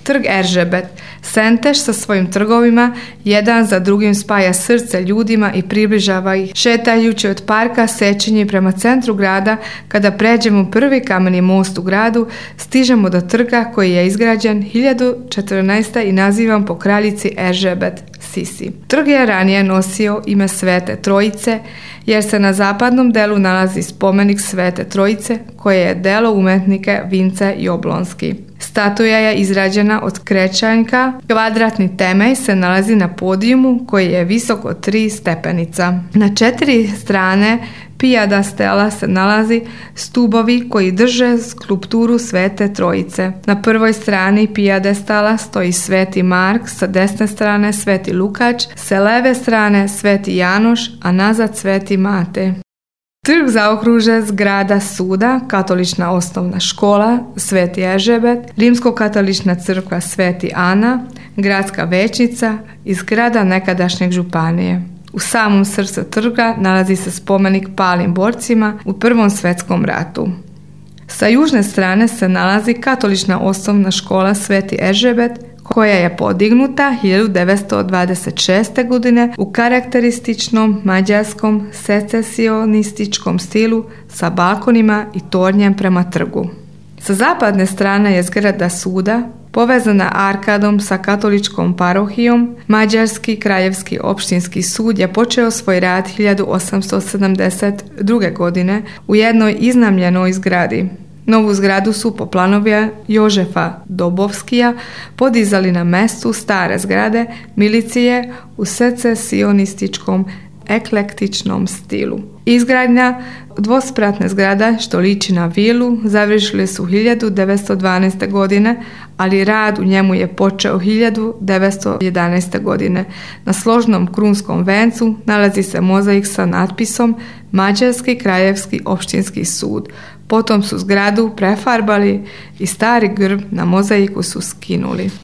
Trg Eržebet. Senteš sa svojim trgovima jedan za drugim spaja srce ljudima i približava ih. Šetajući od parka Sečenje prema centru grada, kada pređemo prvi kameni most u gradu, stižemo do trga koji je izgrađen 1014. i nazivan po kraljici Eržebet Sisi. Trg je ranije nosio ime Svete Trojice, jer se na zapadnom delu nalazi spomenik Svete Trojice, koje je delo umetnika Vince Joblonski. Statuja je izrađena od krečanjka, kvadratni temelj se nalazi na podijumu koji je visok od 3 stepenica. Na 4 strane pijada stela se nalazi stubovi koji drže skulpturu Svete Trojice. Na prvoj strani pijade stala stoji Sveti Mark, sa desne strane Sveti Lukač, sa leve strane Sveti Janoš, a nazad Sveti Mate. Trg zaokruže zgrada suda, katolična osnovna škola Sveti Eržebet, rimsko-katolična crkva Sveti Ana, gradska većnica i zgrada nekadašnjeg županije. U samom srcu trga nalazi se spomenik palim borcima u Prvom svjetskom ratu. Sa južne strane se nalazi katolična osnovna škola Sveti Eržebet, koja je podignuta 1926. godine u karakterističnom mađarskom secesionističkom stilu sa balkonima i tornjem prema trgu. Sa zapadne strane je zgrada suda, povezana arkadom sa katoličkom parohijom. Mađarski kraljevski opštinski sud je počeo svoj rad 1872. godine u jednoj iznajmljenoj zgradi. Novu zgradu su po planovima Jožefa Dobovskija podizali na mestu stare zgrade milicije u secesionističkom eklektičnom stilu. Izgradnja dvospratne zgrada, što liči na vilu, završili su 1912. godine, ali rad u njemu je počeo 1911. godine. Na složnom krunskom vencu nalazi se mozaik sa natpisom Mađarski kraljevski opštinski sud. Potom su zgradu prefarbali i stari grb na mozaiku su skinuli.